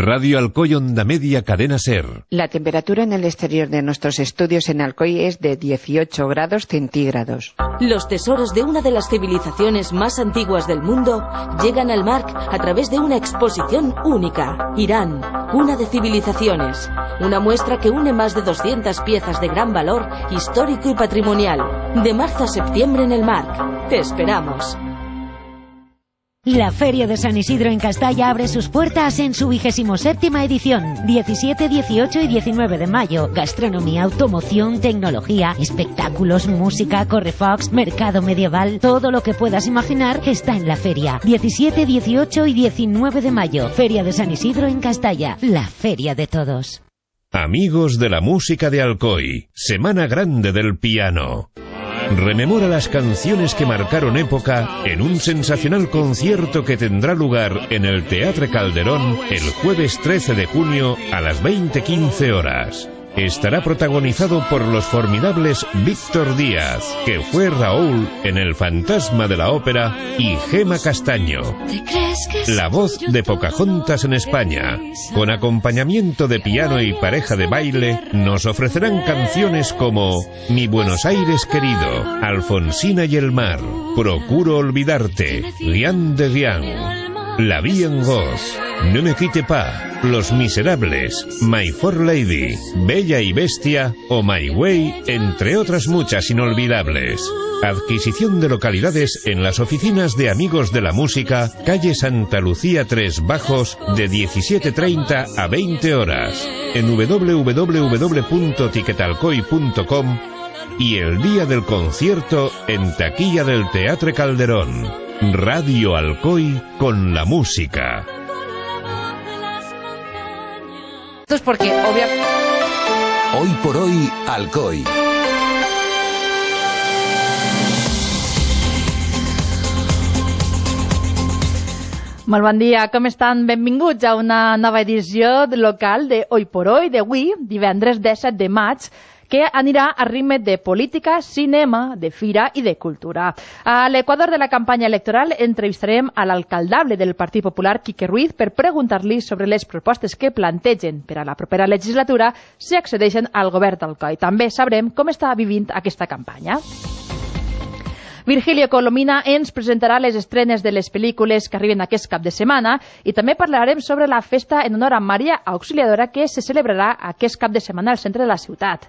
Radio Alcoy Onda Media Cadena Ser. La temperatura en el exterior de nuestros estudios en Alcoy es de 18 grados centígrados. Los tesoros de una de las civilizaciones más antiguas del mundo llegan al MARC a través de una exposición única. Irán, cuna de civilizaciones. Una muestra que une más de 200 piezas de gran valor histórico y patrimonial. De marzo a septiembre en el MARC. Te esperamos. La Feria de San Isidro en Castalla abre sus puertas en su 27ª edición, 17, 18 y 19 de mayo. Gastronomía, automoción, tecnología, espectáculos, música, correfox, mercado medieval, todo lo que puedas imaginar está en la feria. 17, 18 y 19 de mayo, Feria de San Isidro en Castalla, la feria de todos. Amigos de la música de Alcoy, Semana Grande del Piano. Rememora las canciones que marcaron época en un sensacional concierto que tendrá lugar en el Teatre Calderón el jueves 13 de junio a las 20:15 horas. Estará protagonizado por los formidables Víctor Díaz, que fue Raúl en El Fantasma de la Ópera, y Gema Castaño, la voz de Pocahontas en España. Con acompañamiento de piano y pareja de baile, nos ofrecerán canciones como Mi Buenos Aires querido, Alfonsina y el mar, Procuro olvidarte, Rien de Rien, La Vie en Rose, Ne me quitte pas, Los Miserables, My Fair Lady, Bella y Bestia o My Way, entre otras muchas inolvidables. Adquisición de localidades en las oficinas de Amigos de la Música, calle Santa Lucía 3 Bajos, de 17:30 a 20 horas, en www.tiquetalcoy.com y el día del concierto en taquilla del Teatre Calderón. Radio Alcoy con la música. Esto es porque, obviamente... Hoy por hoy, Alcoy. Molt bon dia, com estan? Benvinguts a una nova edició local de Hoy por Hoy, d'avui, divendres 17 de maig, que anirà a ritme de política, cinema, de fira i de cultura. A l'equador de la campanya electoral entrevistarem a l'alcaldable del Partit Popular, Quique Ruiz, per preguntar-li sobre les propostes que plantegen per a la propera legislatura si accedeixen al govern d'Alcoi. També sabrem com està vivint aquesta campanya. Virgilio Colomina ens presentarà les estrenes de les pel·lícules que arriben aquest cap de setmana i també parlarem sobre la festa en honor a Maria Auxiliadora que se celebrarà aquest cap de setmana al centre de la ciutat.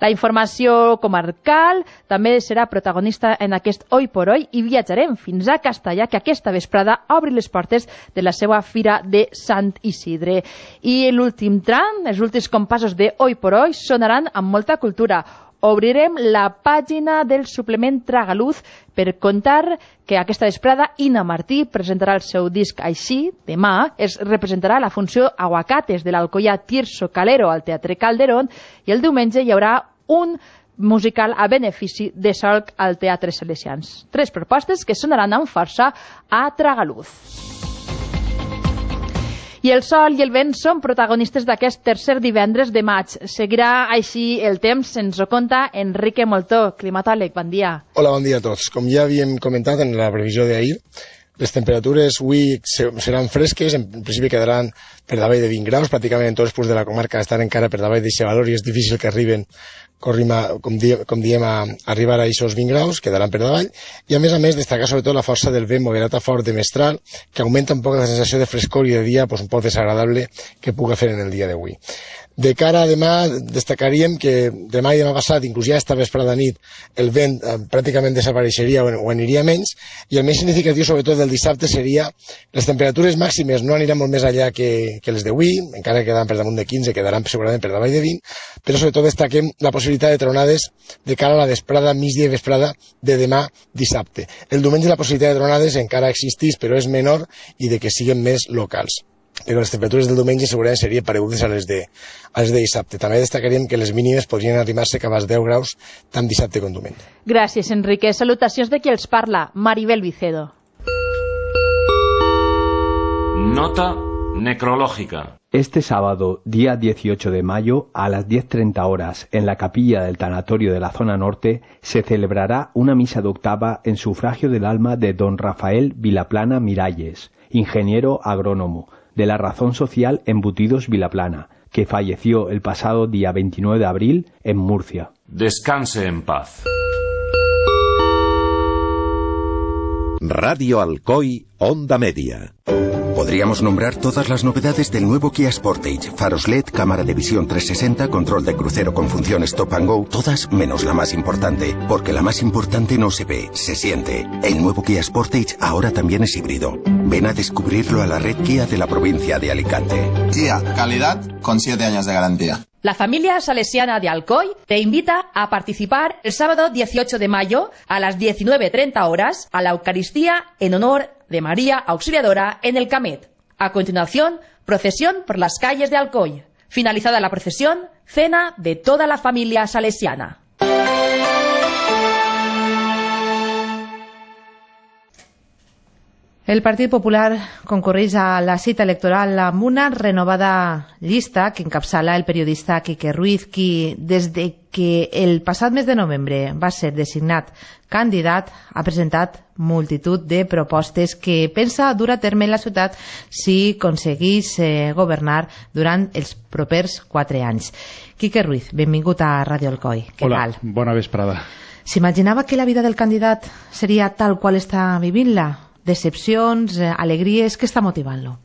La informació comarcal també serà protagonista en aquest Hoy por Hoy i viatjarem fins a Castalla, que aquesta vesprada obri les portes de la seva fira de Sant Isidre. I l'últim tram, els últims compassos de Hoy por Hoy sonaran amb molta cultura. Obrirem la pàgina del suplement Tragaluz per contar que aquesta vesprada Ina Martí presentarà el seu disc Així. Demà es representarà la funció Aguacates de l'Alcoià Tirso Calero al Teatre Calderón i el diumenge hi haurà un musical a benefici de Solc al Teatre Salesians. 3 propostes que sonaran amb força a Tragaluz. I el sol i el vent són protagonistes d'aquest tercer divendres de maig. Seguirà així el temps, ens ho conta Enrique Moltó, climatòleg. Bon dia. Hola, bon dia a tots. Com ja havíem comentat en la previsió d'ahir, les temperatures avui seran fresques, en principi quedaran per davall de 20 graus, pràcticament en tots els punts de la comarca estan encara per davall d'aquest valor i és difícil que arriben, com diem, a arribar a aquests 20 graus, quedaran per davall, i a més destacar sobretot la força del vent moderat a fort de mestral, que augmenta un poc la sensació de frescor i de dia un poc desagradable que puga fer en el dia d'avui. De cara a demà, destacaríem que demà i demà passat, inclús ja esta vesprada nit, el vent pràcticament desapareixeria o aniria menys, i el més significatiu, sobretot del dissabte, seria les temperatures màximes no aniran molt més allà que les d'avui, encara que quedaran per damunt de 15, quedaran segurament per davall de 20, però sobretot destaquem la possibilitat de tronades de cara a la vesprada, migdia i vesprada de demà dissabte. El diumenge la possibilitat de tronades encara existeix, però és menor i de que siguin més locals. Però les temperatures del diumenge segurament serien paregudes a les de dissabte. També destacaríem que les mínimes podrien arribar-se cap als 10 graus tant dissabte com diumenge. Gràcies, Enrique. Salutacions de qui els parla, Maribel Vicedo. Nota necrológica. Este sábado, día 18 de mayo, a las 10:30 horas, en la capilla del tanatorio de la zona norte, se celebrará una misa de octava en sufragio del alma de don Rafael Vilaplana Miralles, ingeniero agrónomo, de la razón social Embutidos Vilaplana, que falleció el pasado día 29 de abril en Murcia. Descanse en paz. Radio Alcoy, Onda Media. Podríamos nombrar todas las novedades del nuevo Kia Sportage. Faros LED, cámara de visión 360, control de crucero con funciones Stop and Go, todas menos la más importante. Porque la más importante no se ve, se siente. El nuevo Kia Sportage ahora también es híbrido. Ven a descubrirlo a la red Kia de la provincia de Alicante. Kia, calidad con 7 años de garantía. La familia salesiana de Alcoy te invita a participar el sábado 18 de mayo a las 19:30 horas a la Eucaristía en honor de María Auxiliadora en el Camet. A continuación, procesión por las calles de Alcoy. Finalizada la procesión, cena de toda la familia salesiana. El Partit Popular concorreix a la cita electoral amb una renovada llista que encapçala el periodista Quique Ruiz, qui, des de que el passat mes de novembre va ser designat candidat, ha presentat multitud de propostes que pensa dur a terme en la ciutat si aconseguís governar durant els propers 4 anys. Quique Ruiz, benvingut a Radio Alcoy. Què Hola, tal? Bona vesprada. S'imaginava que la vida del candidat seria tal qual està vivint-la? Decepcions, alegries, què està motivant-lo?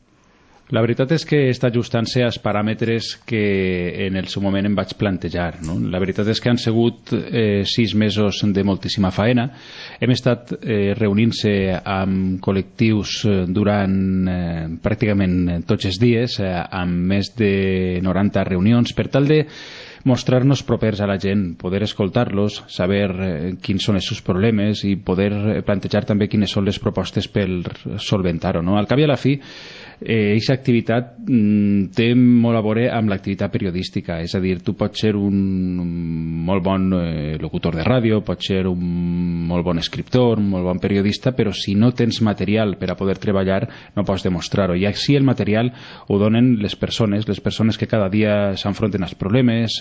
La veritat és que està ajustant-se als paràmetres que en el seu moment em vaig plantejar, no? La veritat és que han sigut 6 mesos de moltíssima faena. Hem estat reunint-se amb col·lectius durant pràcticament tots els dies, amb més de 90 reunions, per tal de mostrar-nos propers a la gent, poder escoltar-los, saber quins són els seus problemes i poder plantejar també quines són les propostes per solventar-ho, no? Al cap i a la fi, aquesta activitat té molt a veure amb l'activitat periodística, és a dir, tu pots ser un molt bon locutor de ràdio, pots ser un molt bon escriptor, un molt bon periodista, però si no tens material per a poder treballar no pots demostrar-ho, i així el material ho donen les persones que cada dia s'enfronten als problemes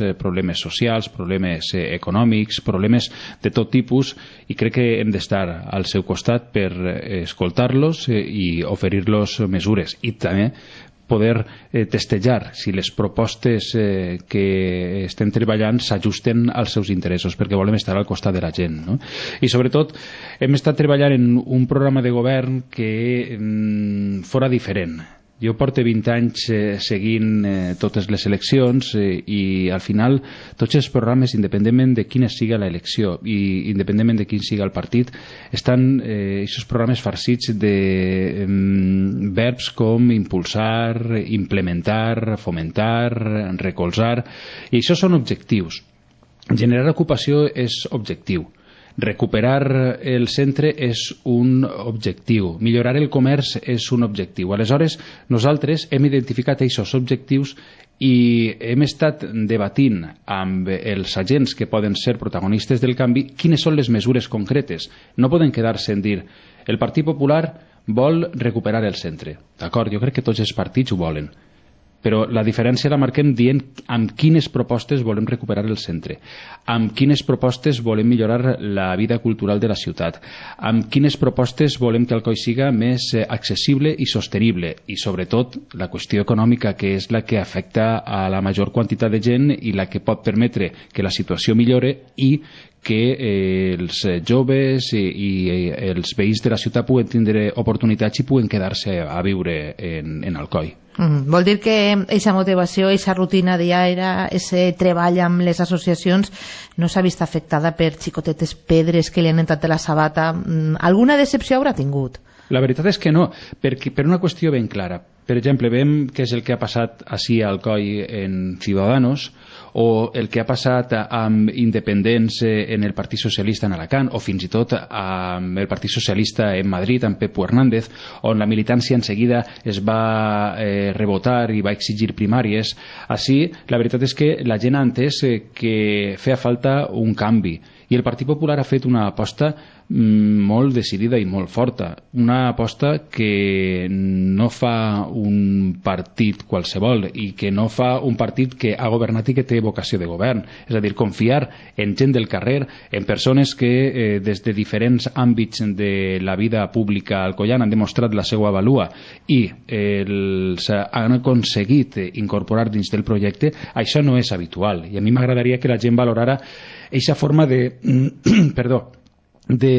socials, problemes econòmics, problemes de tot tipus, i crec que hem d'estar al seu costat per escoltar-los i oferir-los mesures, i també poder testejar si les propostes que estem treballant s'ajusten als seus interessos, perquè volem estar al costat de la gent, no? I sobretot hem estat treballant en un programa de govern que fora diferent. Jo porto 20 anys seguint totes les eleccions i al final tots els programes, independentment de quina siga l'elecció i independentment de quin siga el partit, estan aquests programes farcits de verbs com impulsar, implementar, fomentar, recolzar, i això són objectius. Generar ocupació és objectiu. Recuperar el centre és un objectiu, millorar el comerç és un objectiu. Aleshores, nosaltres hem identificat aquests objectius i hem estat debatint amb els agents que poden ser protagonistes del canvi quines són les mesures concretes. No poden quedar-se en dir el Partit Popular vol recuperar el centre. D'acord, jo crec que tots els partits ho volen. Però la diferència la marquem dient amb quines propostes volem recuperar el centre, amb quines propostes volem millorar la vida cultural de la ciutat, amb quines propostes volem que Alcoi siga més accessible i sostenible, i sobretot la qüestió econòmica, que és la que afecta a la major quantitat de gent i la que pot permetre que la situació millore i que els joves i els veïns de la ciutat puguen tindre oportunitats i puguen quedar-se a viure en Alcoi. Vol dir que aquesta motivació, aquesta rutina diària, aquest treball amb les associacions no s'ha vist afectada per xicotetes pedres que li han entrat a la sabata. Alguna decepció haurà tingut? La veritat és que no, per una qüestió ben clara. Per exemple, veiem què és el que ha passat ací a Alcoi en Ciudadanos, o el que ha passat amb independents en el Partit Socialista en Alacant, o fins i tot amb el Partit Socialista en Madrid, amb Pepo Hernández, on la militància en seguida es va rebotar i va exigir primàries. Així, la veritat és que la gent ha entès que feia falta un canvi, i el Partit Popular ha fet una aposta molt decidida i molt forta, una aposta que no fa un partit qualsevol i que no fa un partit que ha governat i que té vocació de govern. És a dir, confiar en gent del carrer, en persones que des de diferents àmbits de la vida pública alcoiana han demostrat la seva valua i han aconseguit incorporar dins del projecte, això no és habitual. I a mi m'agradaria que la gent valorara aquesta forma de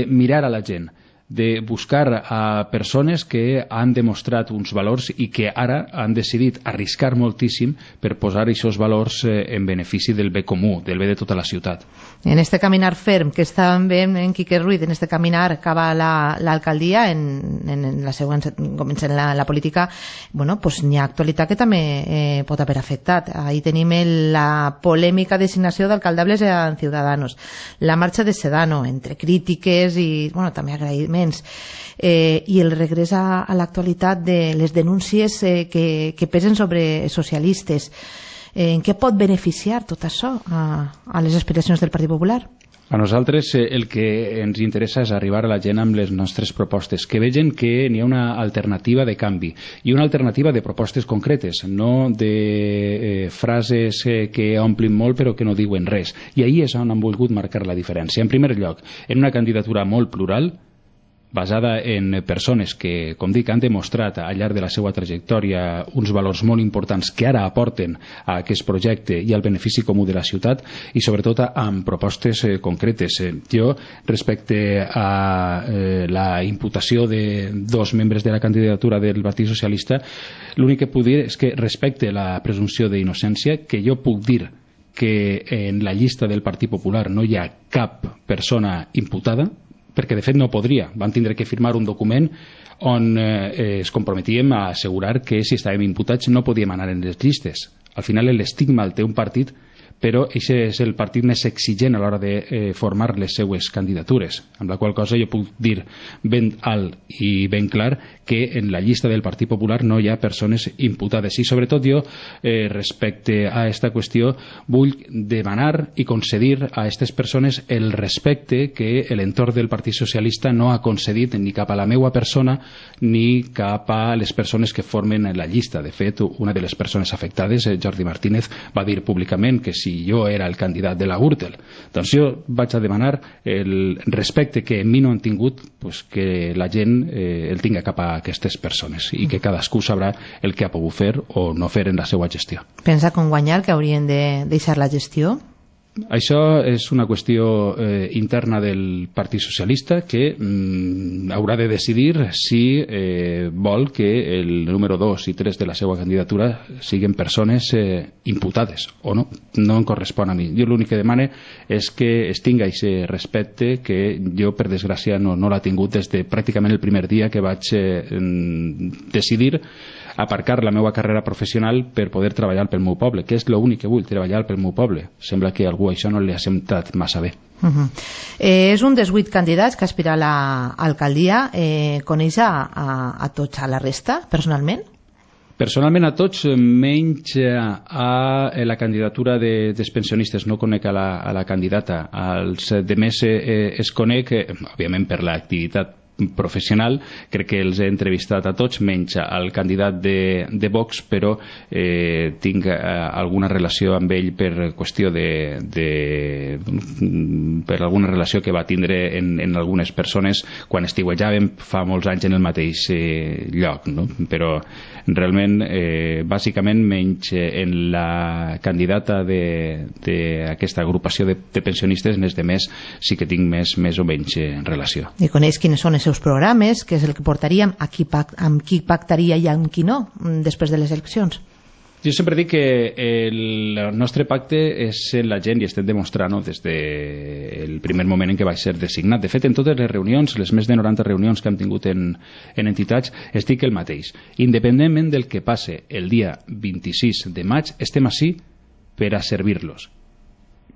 mirar a la gent, de buscar a persones que han demostrat uns valors i que ara han decidit arriscar moltíssim per posar aquests valors en benefici del bé comú, del bé de tota la ciutat. En este caminar ferm que estàvem veient en Quique Ruiz, en este caminar cap a l'alcaldia, en la següent, comencem la política, bueno, pues n'hi ha actualitat que també pot haver afectat. Ahí tenim la polèmica designació d'alcaldables en Ciudadanos, la marxa de Sedano, entre crítiques i, bueno, també agraïments, i el regrés a l'actualitat de les denúncies que pesen sobre socialistes. En què pot beneficiar tot això a les aspiracions del Partit Popular? A nosaltres el que ens interessa és arribar a la gent amb les nostres propostes, que vegin que n'hi ha una alternativa de canvi i una alternativa de propostes concretes, no de frases que omplin molt però que no diuen res. I ahí és on han volgut marcar la diferència. En primer lloc, en una candidatura molt plural, basada en persones que, com dic, han demostrat al llarg de la seva trajectòria uns valors molt importants que ara aporten a aquest projecte i al benefici comú de la ciutat i sobretot amb propostes concretes. Jo, respecte a la imputació de 2 membres de la candidatura del Partit Socialista, l'únic que puc dir és que respecte la presumpció d'innocència, que jo puc dir que en la llista del Partit Popular no hi ha cap persona imputada, perquè de fet no podria. Van tindre que firmar un document on es comprometíem a assegurar que si estàvem imputats no podíem anar en les llistes. Al final l'estigma el té un partit, però aquest és el partit més exigent a l'hora de formar les seues candidatures, amb la qual cosa jo puc dir ben alt i ben clar que en la llista del Partit Popular no hi ha persones imputades. I sobretot jo, respecte a aquesta qüestió, vull demanar i concedir a aquestes persones el respecte que l'entorn del Partit Socialista no ha concedit ni cap a la meva persona ni cap a les persones que formen la llista. De fet, una de les persones afectades, Jordi Martínez, va dir públicament que si jo era el candidat de la Gürtel. Doncs jo vaig a demanar el respecte que en mi no han tingut, pues que la gent el tinga cap a aquestes persones i que cadascú sabrà el que ha pogut fer o no fer en la seva gestió. Pensa com guanyar que haurien de deixar la gestió? Això és una qüestió interna del Partit Socialista que haurà de decidir si vol que el número 2 i 3 de la seva candidatura siguin persones imputades o no. No em correspon a mi. Jo l'únic que demane és que es tinga aquest respecte que jo, per desgràcia, no l'ha tingut des de pràcticament el primer dia que vaig decidir aparcar la meva carrera professional per poder treballar pel meu poble, que és l'únic que vull, treballar pel meu poble. Sembla que a algú això no li ha semblat massa bé. És un dels 8 candidats que aspira a l'alcaldia. Coneix a tots, a la resta, personalment? Personalment a tots, menys a la candidatura dels pensionistes. No conec a la candidata. Els demés es conec, òbviament, per l'activitat professional. Crec que els he entrevistat a tots, menys al candidat de Vox, però tinc alguna relació amb ell per qüestió per alguna relació que va tindre en algunes persones quan estiuejàvem fa molts anys en el mateix lloc, no? Però realment, bàsicament, menys en la candidata d'aquesta agrupació de pensionistes, en els demés sí que tinc més o menys relació. I coneix quines són els seus programes, que és el que portaríem, amb qui pactaria i amb qui no, després de les eleccions? Jo sempre dic que el nostre pacte és en la gent i estem demostrant des del primer moment en què vaig ser designat. De fet, en totes les reunions, les més de 90 reunions que hem tingut en entitats, es dic el mateix. Independentment del que passe el dia 26 de maig, estem ací per a servir-los.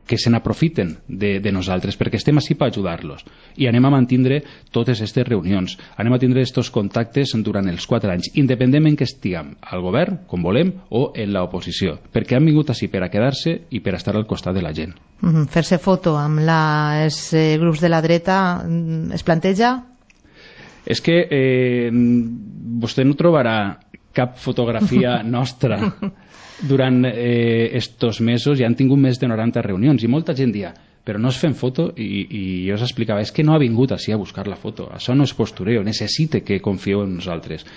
Que se n'aprofiten de nosaltres, perquè estem ací per ajudar-los. I anem a mantindre totes aquestes reunions, anem a tindre aquests contactes durant els 4 anys, independentment que estiguem al govern, com volem, o en l'oposició, perquè han vingut ací per a quedar-se i per a estar al costat de la gent. Fer-se foto amb els grups de la dreta es planteja? És que vostè no trobarà cap fotografia nostra durant estos mesos, ja han tingut més de 90 reunions i molta gent dia, però no es fem foto, i jo us explicava, és que no ha vingut així a buscar la foto, això no és postureo, necessite que confieu en nosaltres,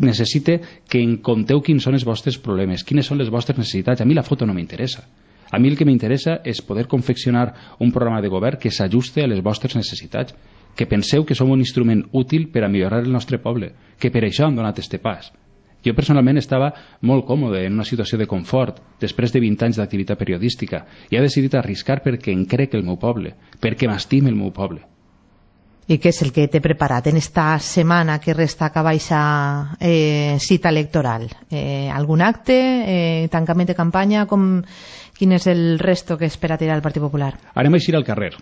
necessite que en conteu quins són els vostres problemes, quines són les vostres necessitats. A mi la foto no m'interessa, a mi el que m'interessa és poder confeccionar un programa de govern que s'ajuste a les vostres necessitats, que penseu que som un instrument útil per a millorar el nostre poble, que per això hem donat este pas. Jo personalment estava molt còmode en una situació de confort després de 20 anys d'activitat periodística i he decidit arriscar perquè em crec el meu poble, perquè m'estime el meu poble. I què és el que t'he preparat en esta setmana que resta a baixa cita electoral? Algun acte? Tancament de campanya? Quin és el resto que espera tirar el Partit Popular? Anem a eixir al carrer.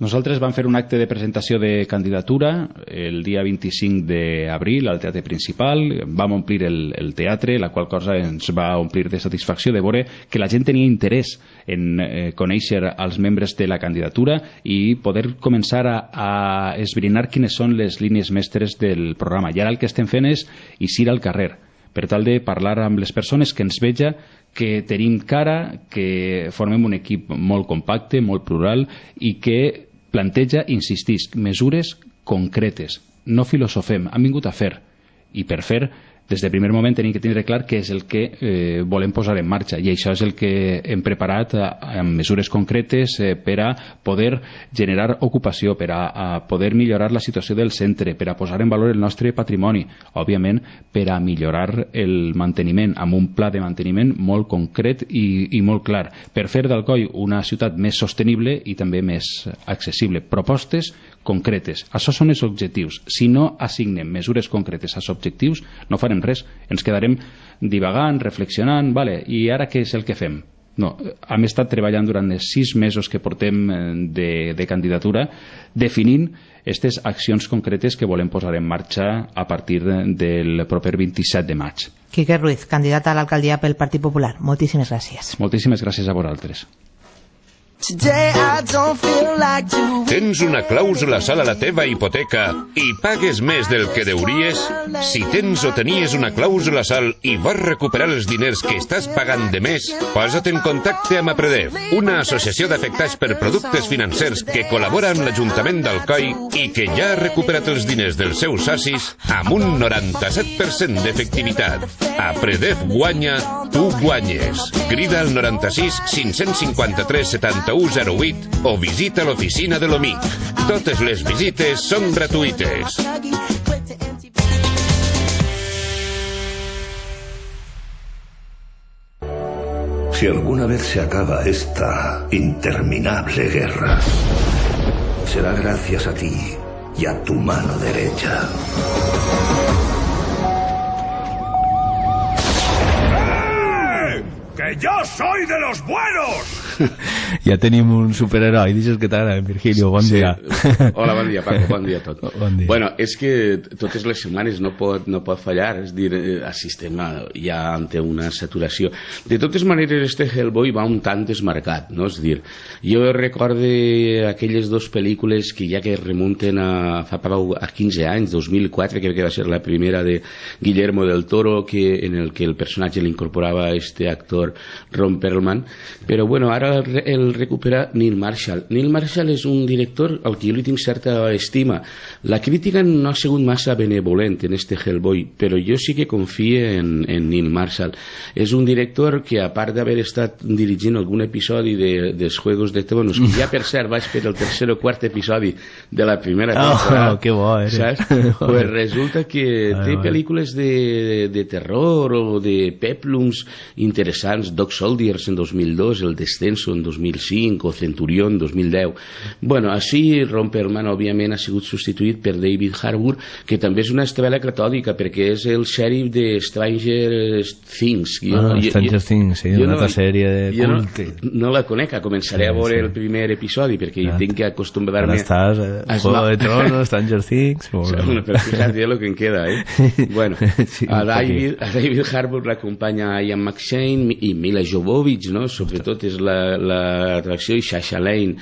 Nosaltres vam fer un acte de presentació de candidatura el dia 25 d'abril al Teatre Principal, vam omplir el teatre, la qual cosa ens va omplir de satisfacció de veure que la gent tenia interès en conèixer els membres de la candidatura i poder començar a esbrinar quines són les línies mestres del programa. I ara el que estem fent és eixir al carrer, per tal de parlar amb les persones, que ens veja que tenim cara, que formem un equip molt compacte, molt plural i que planteja, insistís, mesures concretes. No filosofem, hem vingut a fer. I per fer, des del primer moment tenim que tindre clar què és el que volem posar en marxa. I això és el que hem preparat amb mesures concretes per a poder generar ocupació, per a poder millorar la situació del centre, per a posar en valor el nostre patrimoni, òbviament per a millorar el manteniment, amb un pla de manteniment molt concret i molt clar, per fer d'Alcoi una ciutat més sostenible i també més accessible. Propostes concretes. Això són els objectius. Si no assignem mesures concretes als objectius, no farem res. Ens quedarem divagant, reflexionant, vale, i ara què és el que fem? No, hem estat treballant durant els 6 mesos que portem de candidatura definint aquestes accions concretes que volem posar en marxa a partir del proper 27 de maig. Quique Ruiz, candidat a l'alcaldia pel Partit Popular. Moltíssimes gràcies. Moltíssimes gràcies a vosaltres. Tens una clàusula a la teva hipoteca i pagues més del que deuries? Si tens o tenies una clàusula i vas recuperar els diners que estàs pagant de més, posa't en contacte amb Apredev, una associació d'afectats per productes financers que col·labora amb l'Ajuntament d'Alcoi i que ja ha recuperat els diners dels seus socis amb un 97% d'efectivitat. Apredev guanya, tu guanyes. Crida al 96 553 71 08 o visita l'oficina de l'OMIC. Totes les visites són gratuïtes. Si alguna vez se acaba esta interminable guerra, será gracias a ti y a tu mano derecha. ¡Que yo soy de los buenos! Ja tenim un superheroi, deixes que t'agrada, Virgilio, bon dia. Hola, bon dia, Paco, bon dia a tot. Bon dia. Bueno, és que totes les setmanes no pot fallar, és dir, el sistema ja ante una saturació. De totes maneres, este Hellboy va un tant desmarcat, no? És dir, jo recorde aquelles 2 pel·lícules que ja que remunten a 15 anys, 2004, crec que va ser la primera de Guillermo del Toro, en el que el personatge l'incorporava este actor Ron Perlman, però bueno, ara el recupera Neil Marshall. Neil Marshall és un director al que jo li tinc certa estima. La crítica no ha sigut massa benevolent en este Hellboy, però jo sí que confio en Neil Marshall. És un director que, a part d'haver estat dirigint algun episodi dels Juegos de Tronos, que ja per cert vaig per el 3er o 4è episodi de la primera temporada, que bo eres. Saps? Pues resulta que té pel·lícules de terror o de peplums interessants, Dog Soldiers en 2002, El Descenso en 2005 o Centurión en 2010. Bueno, així Ron Perlman òbviament ha sigut substituït per David Harbour, que també és una estrella catòdica perquè és el xèrif de Stranger Things. Stranger Things, sí, una altra sèrie de culte. No la conec, començaré a veure el primer episodi perquè tinc que acostumbrar-me a Juego de Tronos, Stranger Things. Bueno, però fíjate lo que em queda, Bueno, a David Harbour l'acompanya Ian McShane i Mila Jovovich, no? Sobretot és l'atracció, i Sasha Lane,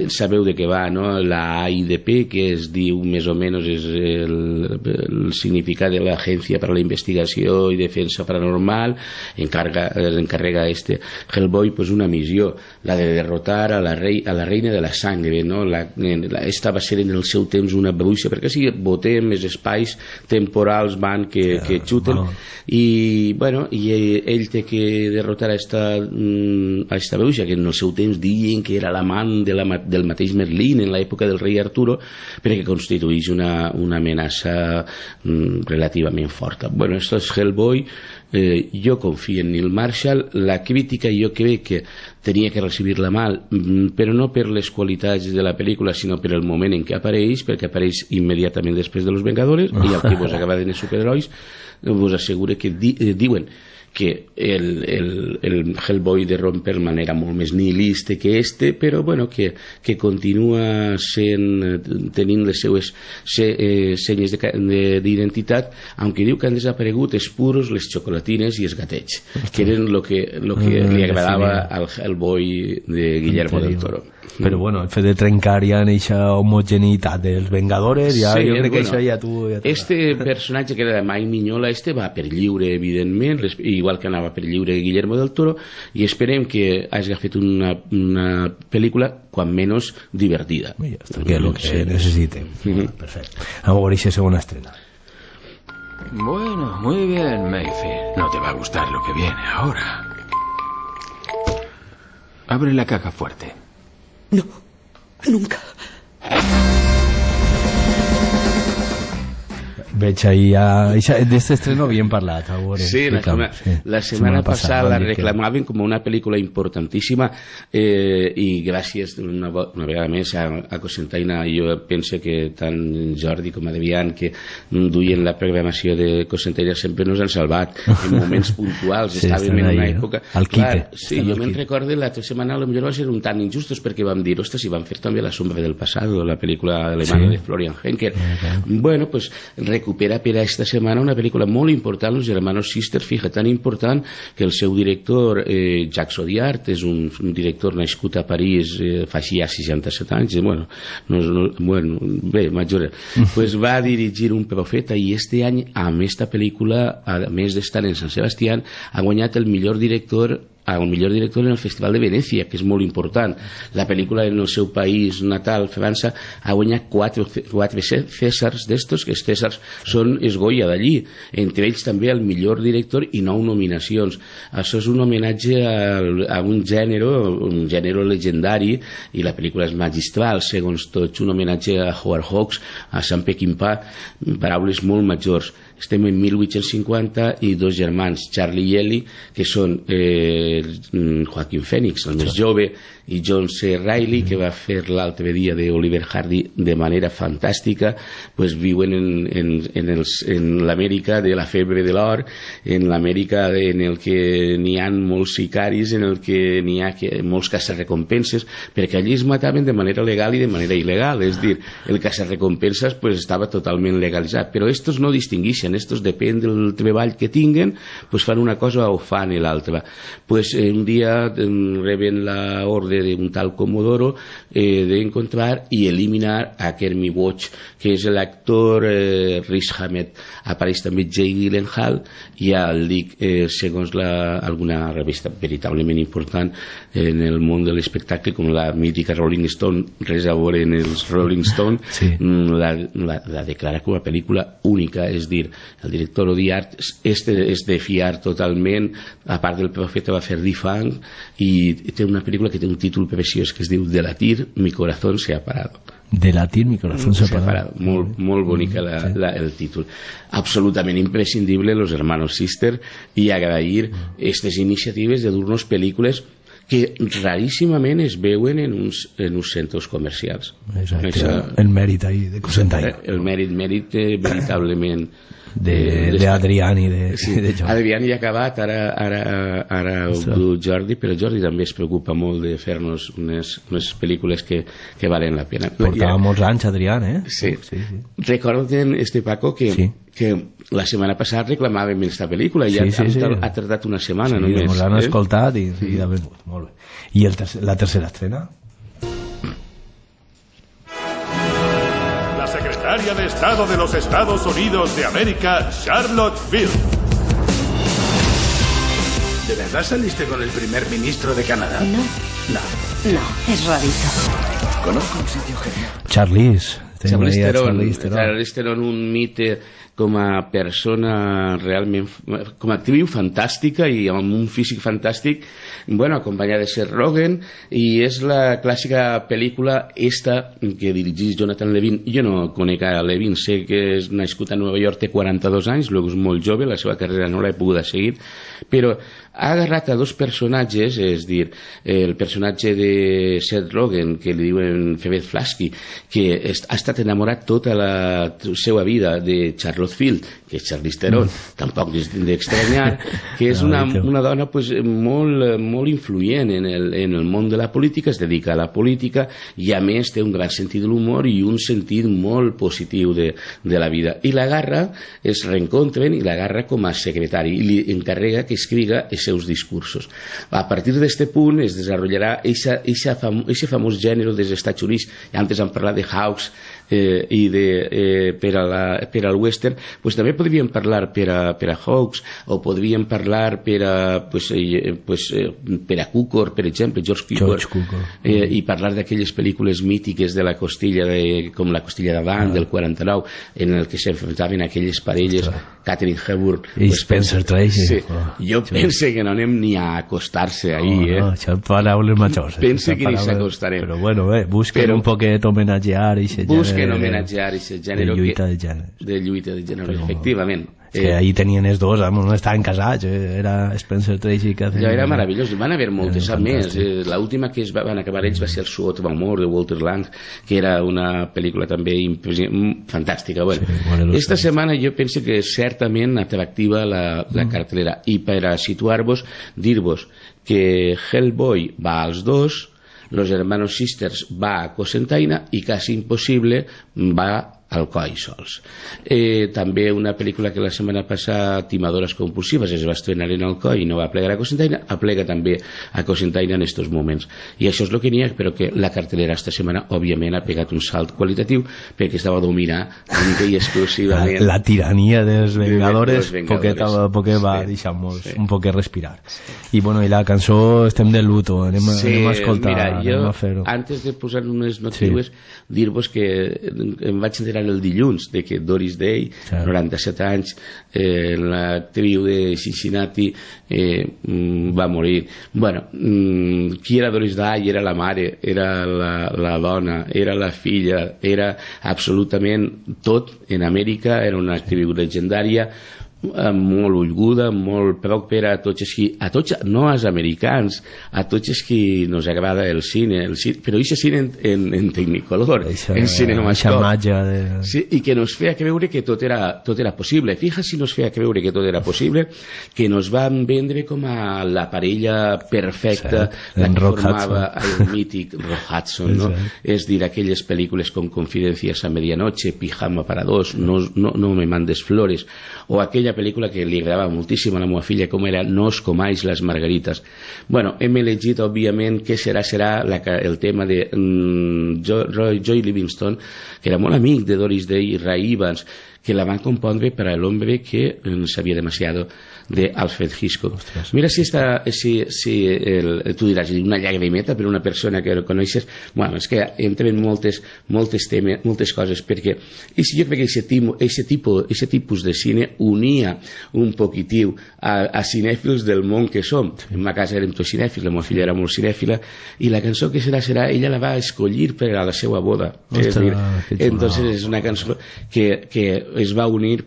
sabeu de què va, no? La AIDP, que es diu més o menys és el significat de l'Agència per a la Investigació i Defensa Paranormal, encarrega Hellboy pues una missió, la de derrotar a la reina de la sangre, no? Esta va ser en el seu temps una bruixa, perquè si votem els espais temporals van que xuten, i bueno, i ell té que derrotar a esta bruixa, que en el seu temps diuen que era l'amant del mateix Merlín en l'època del rei Arturo, perquè constitueix una amenaça relativament forta. Bueno, esto és Hellboy. Jo confio en Neil Marshall. La crítica jo crec que tenia que recibir-la mal, però no per les qualitats de la pel·lícula, sinó per el moment en què apareix, perquè apareix immediatament després de Los Vengadores, i el que vos acaba de dir superherois vos assegure que diuen que el Hellboy de Ron Perlman era molt més nihilista que però bueno, que continua tenint les seues senyes d'identitat, aunque diu que han desaparegut els puros, les xocolatines i els gatets, que eren lo que li agradava al Hellboy de Guillermo del Toro. Però bueno, el fet de trencar ja en aquesta homogeneïtat dels Vengadores, ja, jo crec que això ja tu... Este personatge que era de Mike Mignola, va per lliure, evidentment, igual que anava per lliure Guillermo del Toro, i esperem que hagi fet una pel·lícula, quan menys, divertida. Ja està, que és el que necessitem. Perfecte. A veure aquesta segona estrena. Bueno, muy bien, Mayfield. No te va a gustar lo que viene ahora. Abre la caja fuerte. No, nunca. Veig ahí de este estreno bien parlat. Sí, la setmana passada la reclamaven com una pel·lícula importantíssima, i gràcies una vegada més a Cosentaina. Jo penso que tant Jordi com Adrián, que duien la programació de Cosentaina, sempre nos han salvat en moments puntuals. Estàvem en una època... Sí, jo me'n recordo l'altra setmana potser va ser un tant injustos, perquè vam dir, ostres, si van fer també La sombra del pasado, la pel·lícula alemana de Florian Henker. Bueno, pues recupera per a esta setmana una pel·lícula molt important, Los Hermanos Sister, fija, tan important que el seu director, Jacques Audiard, és un director nascut a París fa ja 67 anys, bé, major, pues va dirigir Un profeta, i este any, amb esta pel·lícula, a més d'estar en Sant Sebastián, ha guanyat el millor director en el Festival de Venècia, que és molt important. La pel·lícula en el seu país natal, França, ha guanyat 4 Cèsars d'estos, que els Cèsars són els Goya d'allí, entre ells també el millor director i 9 nominacions. Això és un homenatge a un gènere legendari, i la pel·lícula és magistral, segons tots, un homenatge a Howard Hawks, a Sant Peckinpah, paraules molt majors. Estem en 1850 i dos germans, Charlie i Ellie, que són Joaquin Phoenix, el més jove, i John C. Reilly, que va fer l'altre dia de Oliver Hardy de manera fantàstica, pues viuen en l'Amèrica de la febre de l'or, en l'Amèrica en el que n'hi ha molts sicaris, en el que n'hi ha molts caçarrecompenses, perquè allí es mataven de manera legal i de manera il·legal, és dir, el caçarrecompenses pues estava totalment legalitzat, però estos no distingueixen, estos depèn del treball que tinguen, pues fan una cosa o fan l'altra. Pues un dia reben la ordre d'un tal Comodoro d'encontrar i eliminar a Kermit Watch, que és l'actor Riz Ahmed. Apareix també Jake Gyllenhaal, i ja el dic, segons alguna revista veritablement important en el món de l'espectacle, com la mítica Rolling Stone, res a veure en els Rolling Stone, la declara com una pel·lícula única, és dir, el director Audiard és de fiar totalment. A part del Profeta va fer Difang, i té una pel·lícula que té un títol preciós que es diu De latir mi corazón se ha parado. De latir mi corazón se ha parado. Molt bonica el títol. Absolutament imprescindible Los Hermanos Sister, i agrair aquestes iniciatives de dur-nos pel·lícules que raríssimament es veuen en uns centres comercials. El mèrit ahí de Cosentaina. El mèrit veritablement d'Adrián i de Jordi. Adrián ja ha acabat, ara ho diu Jordi, però Jordi també es preocupa molt de fer-nos unes pel·lícules que valen la pena. Portava molts anys Adrián, Sí. Recorden, Paco, que que la setmana passada reclamàvem aquesta pel·lícula i ha tardat una setmana només. Sí, l'han escoltat i ha venut, molt bé. I la tercera estrena? La secretaria de Estado de los Estados Unidos de América, Charlotte Field. ¿De verdad saliste con el primer ministro de Canadá? No, es rarito. Conozco un sitio genial. Charlize Theron, un mite com a persona realment, com a actriu fantàstica i amb un físic fantàstic, bueno, acompanyada de Seth Rogen, i és la clàssica pel·lícula esta que dirigís Jonathan Levin. Jo no conec a Levin, sé que és nascut a Nova York, té 42 anys, luego és molt jove, la seva carrera no l'he pogut seguir, però ha agarrat a dos personatges, és dir, el personatge de Seth Rogen, que li diuen Phoebe Flasky, que ha estat enamorat tota la seva vida de Charlotte Field, que és Charlize Theron, tampoc és d'estranyar, que és una dona pues, molt influent en el món de la política, es dedica a la política i a més té un gran sentit de l'humor i un sentit molt positiu de la vida. I l'agarra, es reencontren i l'agarra com a secretari i li encarrega que escriga els seus discursos. A partir d'aquest punt es desenvoluparà aquest famós gènere dels Estats Units. Antes hem parlat de Hawks i per al western, pues també podríem parlar per a Hawks, o podríem parlar per a Cukor, per exemple, George Cukor, i parlar d'aquelles pel·lícules mítiques de la costilla, com la costilla d'Adam del 49, en el que s'enfrontaven aquelles parelles, Katharine Hepburn i Spencer Tracy. Jo pense que no anem ni a acostar-se ahí, això paraules majors. Pense que ni s'acostarem. Però bueno, busquen un poquet homenatjar i busquen homenatjar aquest gènere de lluita de gènere. De lluita de gènere, efectivament. És que ahí tenien els dos, no estaven casats, era Spencer Tracy que ja era meravellós, van haver moltes a més, l'última que van acabar ells va ser El Suot d'amor de Walter Lang, que era una pel·lícula també fantàstica. Esta setmana jo penso que certament atractiva la cartelera, i per a situar-vos, dir-vos que Hellboy va als dos, Los Hermanos Sisters va a Cocentaina i Casi Impossible va Alcoi sols. També una pel·lícula que la setmana passada, Timadores compulsives, es va estrenar en Alcoi i no va plegar a Cocentaina, aplega també a Cocentaina en estos moments. I això és el que n'hi ha, però que la cartelera esta setmana òbviament ha pegat un salt qualitatiu perquè estava dominada única i exclusivament la tirania dels Vengadores, poquet va deixar-nos un poquet respirar. I bueno, i la cançó estem de luto, anem a escoltar. Mira, jo, antes de posar unes notícies, dir-vos que em vaig enterar el dilluns de que Doris Day, 97 anys, l'actriu de Cincinnati, va morir. Bueno, qui era Doris Day? Era la mare, era la dona, era la filla, era absolutament tot en Amèrica, era una actriu legendària, molt ulguda, molt pròspera a tots, no als americans, a tots els que nos agrada el cine, però aquest cine en Technicolor, en cinemascop, i que nos feia creure que tot era possible. Fija si nos feia creure que tot era possible, que nos van vendre com a la parella perfecta, la que formava el mític Rock Hudson, no? És dir, aquelles pel·lícules com Confidencias a Medianoche, Pijama para dos, No me mandes flores, o aquella pel·lícula que li agradava moltíssim a la meva filla, com era No os comáis las margaritas. Bueno, hem elegit òbviament que serà el tema de Joy Livingston, que era molt amic de Doris Day i Ray Evans, que la van compondre per a l'hombre que sabia demasiado, de Alfred Hitchcock. Mira si tu diràs una llagrimeta per una persona que el coneixes. Bueno, és que entren moltes coses, perquè jo crec que aquest tipus de cine unia un poquitiu a cinèfils del món que som. En ma casa érem tots cinèfils, la meva filla era molt cinèfila, i la cançó que serà, ella la va escollir per a la seva boda. Entonces és una cançó que es va unir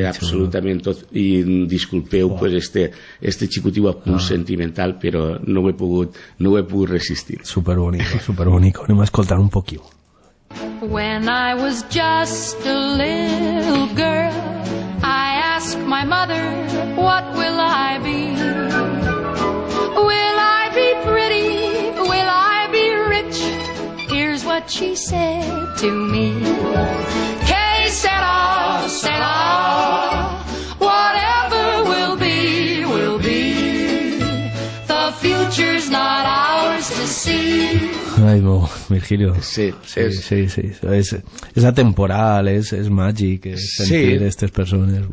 absolutament tot, i disculpeu este xicotiu a punt sentimental, però no ho he pogut resistir. Superbonico, anem a escoltar un poquillo. When I was just a little girl, I asked my mother, what will I be? Will I be pretty? Will I be rich? Here's what she said to me. Que sera, sera. The future's not ours to see. Ai, Virgilio. Sí, és atemporal, és màgic, sentir aquestes persones.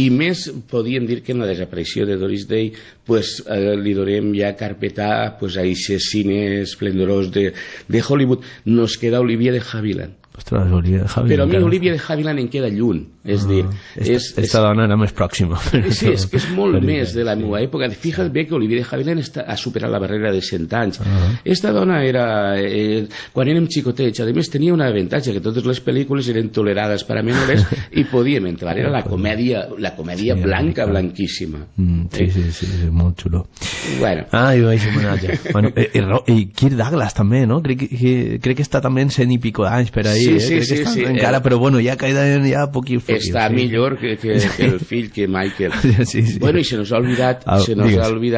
I més podíem dir que en la desaparició de Doris Day pues, li donem ja carpetà pues, a aquests cines esplendorosos de Hollywood. Nos queda Olivia de Havilland. Ostres, Olivia de Havilland. Però a mi Olivia de Havilland em queda lluny. És dir, esta dona era més pròxima. Sí, és que és molt més de la meva època. Fixa't bé que Olivia de Havilland ha superat la barrera de 100 anys. Esta dona era... quan érem xicotets, a més tenia un avantatge, que totes les pel·lícules eren tolerades per a menores i podíem entrar. Era la comèdia blanca, blanquíssima. Sí, molt xulo. Bueno. I vaig homenatge. I Kirk Douglas també, no? Crec que està també en 100 i pico d'anys per ahí. Sí. Encara, però bueno, ja queden ja poquils. Està millor que el fill, que Michael. Bueno, i se nos ha olvidat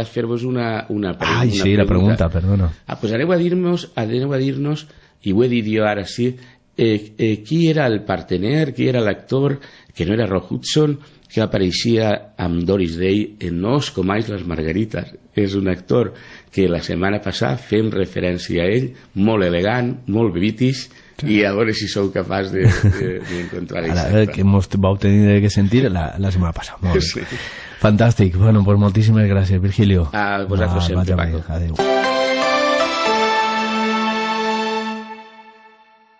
fer-vos una pregunta. Ai, sí, la pregunta, perdona. Pues aneu a dir-nos, i ho he dit jo ara sí, qui era el partener, qui era l'actor, que no era Rock Hudson, que apareixia amb Doris Day en No os comáis las margaritas. És un actor que la setmana passada fem referència a ell, molt elegant, molt bebitis, i a veure si sou capaç d'encontrar ara que ens vau tenir que sentir la setmana passada. Molt bé. Fantàstic. Bueno, pues moltíssimes gràcies, Virgilio. A vosaltres sempre, Paco. Adéu.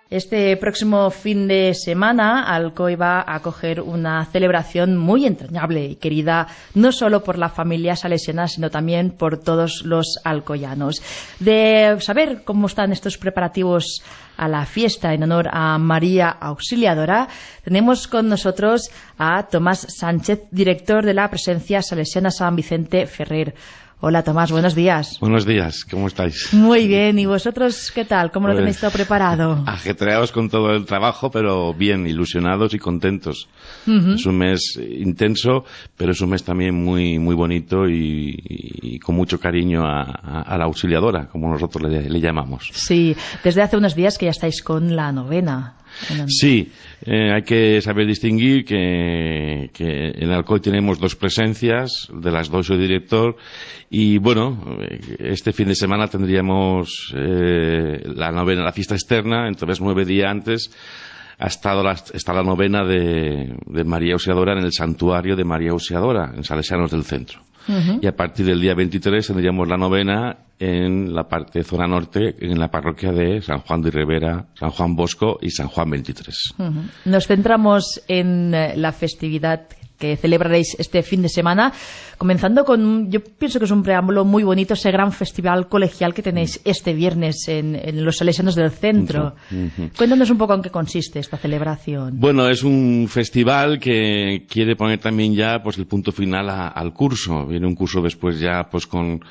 Este próximo fin de semana, Alcoy va a acoger una celebración muy entrañable y querida no solo por la familia salesiana, sino también por todos los alcoyanos. De saber cómo están estos preparativos a la fiesta en honor a María Auxiliadora, tenemos con nosotros a Tomás Sánchez, director de la Presencia Salesiana San Vicente Ferrer. Hola Tomás, buenos días. Buenos días, ¿cómo estáis? Muy bien, ¿y vosotros qué tal? ¿Cómo lo tenéis todo preparado? Ajetreados con todo el trabajo, pero bien, ilusionados y contentos. Es un mes intenso, pero es un mes también muy bonito y con mucho cariño a la Auxiliadora, como nosotros le llamamos. Sí, desde hace unos días que ya estáis con la novena. Sí, hay que saber distinguir que en Alcoy tenemos dos presencias, de las dos soy director, y bueno, este fin de semana tendríamos la novena, la fiesta externa, entonces 9 días antes está la novena de María Auxiliadora en el santuario de María Auxiliadora, en Salesianos del Centro. Y a partir del día 23 tendríamos la novena en la parte zona norte, en la parroquia de San Juan de Ribera, San Juan Bosco y San Juan 23. Nos centramos en la festividad que celebraréis este fin de semana, comenzando con, yo pienso que es un preámbulo muy bonito, ese gran festival colegial que tenéis este viernes en los Salesianos del Centro. Cuéntanos un poco en qué consiste esta celebración. Bueno, es un festival que quiere poner también ya pues el punto final al curso. Viene un curso después ya pues con,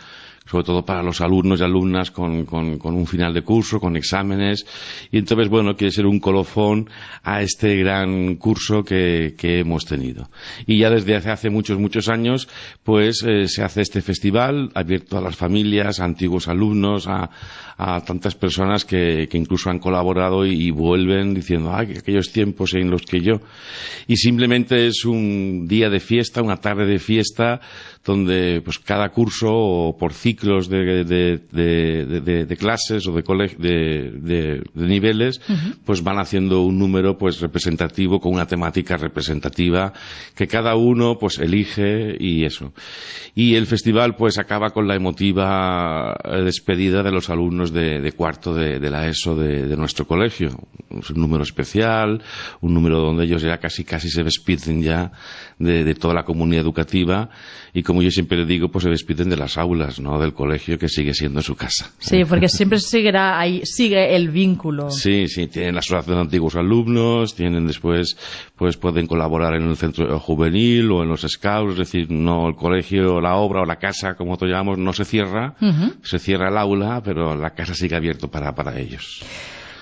sobre todo para los alumnos y alumnas, con un final de curso, con exámenes, y entonces, bueno, quiere ser un colofón a este gran curso que hemos tenido. Y ya desde hace muchos años, pues se hace este festival abierto a las familias, a antiguos alumnos, a tantas personas que incluso han colaborado y vuelven diciendo, aquellos tiempos en los que yo... Y simplemente es un día de fiesta, una tarde de fiesta, donde pues cada curso, o por ciclos de clases o de niveles, pues van haciendo un número pues representativo, con una temática representativa que cada uno pues elige, y eso. Y el festival pues acaba con la emotiva despedida de los alumnos de cuarto de la ESO de nuestro colegio. Es un número especial, un número donde ellos ya casi se despiden ya de toda la comunidad educativa, y como yo siempre digo, pues se despiden de las aulas, no del colegio, que sigue siendo su casa. Sí, porque siempre seguirá ahí, sigue el vínculo. Sí, tienen la asociación de antiguos alumnos, tienen después, pues pueden colaborar en el centro juvenil o en los scouts, es decir, no el colegio, la obra o la casa, como nosotros llamamos, no se cierra, se cierra el aula, pero la casa sigue abierta para ellos.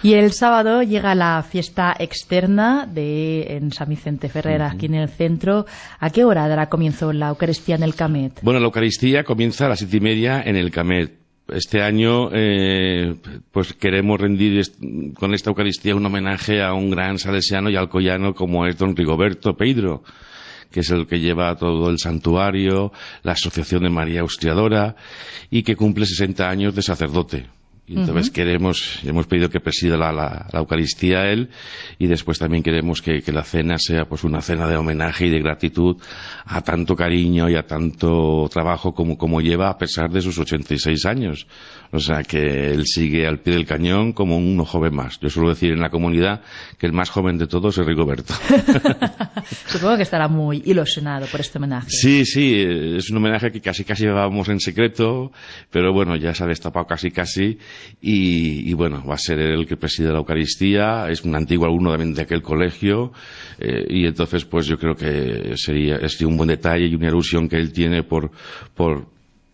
Y el sábado llega la fiesta externa en San Vicente Ferrer, aquí en el centro. ¿A qué hora dará comienzo la Eucaristía en el Camet? Bueno, la Eucaristía comienza a las 7:30 en el Camet. Este año pues queremos rendir con esta Eucaristía un homenaje a un gran salesiano y alcoyano como es don Rigoberto Peidro, que es el que lleva todo el santuario, la Asociación de María Auxiliadora, y que cumple 60 años de sacerdote. Y entonces hemos pedido que presida la Eucaristía a él, y después también queremos que la cena sea pues una cena de homenaje y de gratitud a tanto cariño y a tanto trabajo como lleva a pesar de sus 86 años. O sea que él sigue al pie del cañón como un joven más. Yo suelo decir en la comunidad que el más joven de todos es Rigoberto. Supongo que estará muy ilusionado por este homenaje. Sí, es un homenaje que casi llevábamos en secreto, pero bueno, ya se ha destapado casi. Y bueno, va a ser él el que preside la Eucaristía, es un antiguo alumno también de aquel colegio, y entonces pues yo creo que sería un buen detalle y una ilusión que él tiene por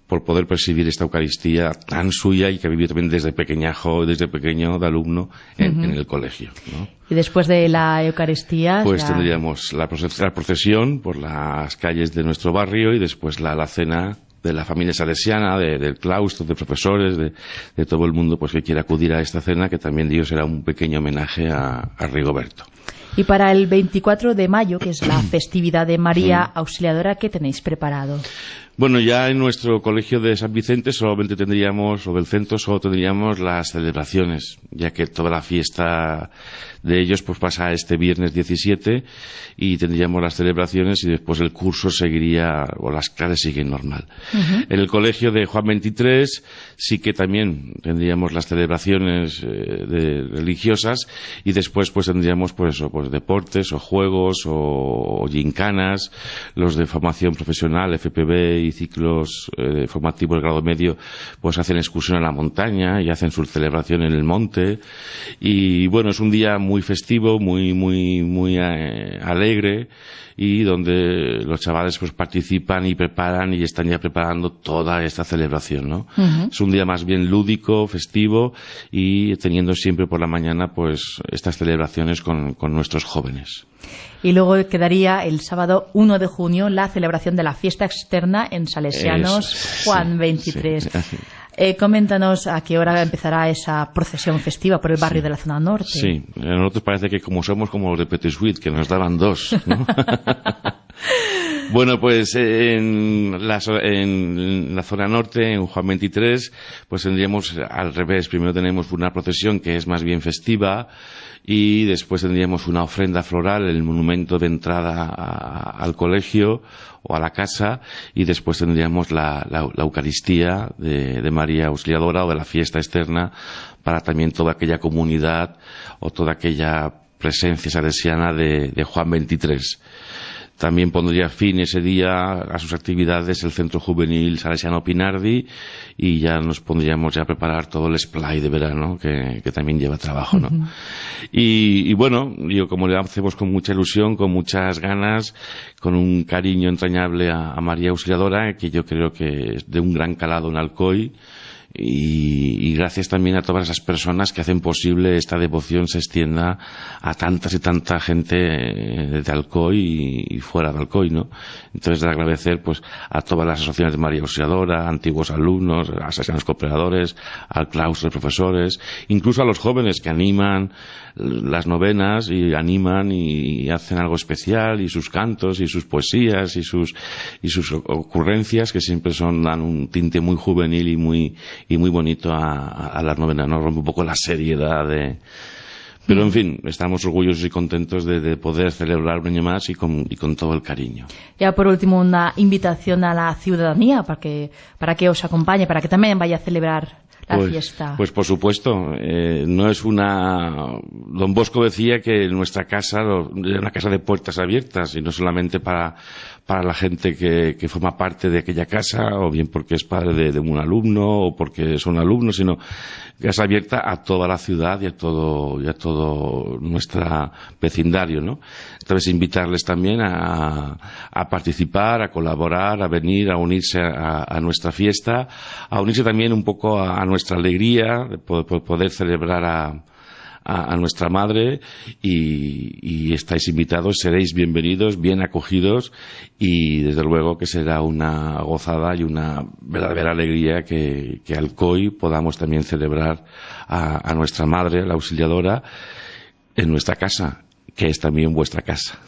poder presidir esta Eucaristía tan suya y que ha vivido también desde pequeño de alumno en el colegio, ¿no? Y después de la Eucaristía pues tendríamos la procesión por las calles de nuestro barrio, y después la cena de la familia salesiana, del claustro, de profesores, de todo el mundo pues que quiera acudir a esta cena, que también digo será un pequeño homenaje a Rigoberto. Y para el 24 de mayo, que es la festividad de María Auxiliadora, ¿qué tenéis preparado? Bueno, ya en nuestro colegio de San Vicente solamente tendríamos, o del centro, solo tendríamos las celebraciones, ya que toda la fiesta de ellos pues pasa este viernes 17, y tendríamos las celebraciones y después el curso seguiría, o las clases siguen normal. En el colegio de Juan 23 sí que también tendríamos las celebraciones religiosas, y después pues tendríamos pues deportes o juegos o gincanas, los de formación profesional, FPB y ciclos formativos de grado medio pues hacen excursión a la montaña y hacen su celebración en el monte, y bueno, es un día muy festivo, muy alegre, y donde los chavales pues participan y preparan y están ya preparando toda esta celebración, ¿no? Es un día más bien lúdico, festivo, y teniendo siempre por la mañana pues estas celebraciones con nuestros jóvenes. Y luego quedaría el sábado 1 de junio la celebración de la fiesta externa en Salesianos Juan 23. Coméntanos a qué hora empezará esa procesión festiva por el barrio de la zona norte. Sí, a nosotros parece que somos como los de Petit Suite, que nos daban dos, ¿no? Bueno, pues en la zona norte, en Juan 23, pues tendríamos al revés. Primero tenemos una procesión que es más bien festiva, y después tendríamos una ofrenda floral, el monumento de entrada al colegio o a la casa, y después tendríamos la Eucaristía de María Auxiliadora, o de la fiesta externa, para también toda aquella comunidad o toda aquella presencia salesiana de Juan 23. También pondría fin ese día a sus actividades el Centro Juvenil Salesiano Pinardi, y ya nos pondríamos ya a preparar todo el splay de verano, que también lleva trabajo, ¿no? Y bueno, como le hacemos con mucha ilusión, con muchas ganas, con un cariño entrañable a María Auxiliadora, que yo creo que es de un gran calado en Alcoy, y gracias también a todas esas personas que hacen posible esta devoción se extienda a tantas y tanta gente de Alcoy y fuera de Alcoy, ¿no? Entonces, de agradecer pues a todas las asociaciones de María Auxiliadora, antiguos alumnos, a asesinos cooperadores, al claustro de profesores, incluso a los jóvenes que animan las novenas y animan y hacen algo especial, y sus cantos y sus poesías y sus ocurrencias, que siempre dan un tinte muy juvenil y muy bonito a las novenas, ¿no? Rompe un poco la seriedad pero en fin, estamos orgullosos y contentos de poder celebrar un año más y con todo el cariño. Ya por último, una invitación a la ciudadanía para que os acompañe, para que también vaya a celebrar la fiesta. Pues por supuesto, no es Don Bosco decía que nuestra casa era una casa de puertas abiertas, y no solamente para la gente que forma parte de aquella casa, o bien porque es padre de un alumno o porque son alumnos, sino casa abierta a toda la ciudad y a todo nuestro vecindario, ¿no? Entonces invitarles también a participar, a colaborar, a venir, a unirse a nuestra fiesta, a unirse también un poco a nuestra alegría de poder celebrar a nuestra madre, y estáis invitados, seréis bienvenidos, bien acogidos, y desde luego que será una gozada y una verdadera alegría que Alcoy podamos también celebrar a nuestra madre, la Auxiliadora, en nuestra casa, que es también vuestra casa.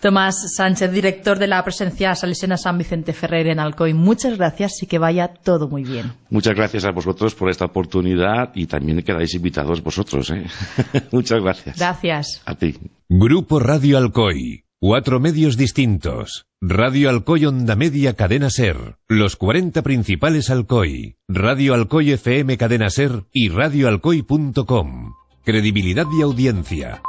Tomás Sánchez, director de la presencia salesiana San Vicente Ferrer en Alcoy, muchas gracias y que vaya todo muy bien. Muchas gracias a vosotros por esta oportunidad y también quedáis invitados vosotros, ¿eh? Muchas gracias. Gracias. A ti. Grupo Radio Alcoy. 4 medios distintos. Radio Alcoy Onda Media Cadena Ser. Los 40 principales Alcoy. Radio Alcoy FM Cadena Ser y radioalcoy.com. Credibilidad y audiencia.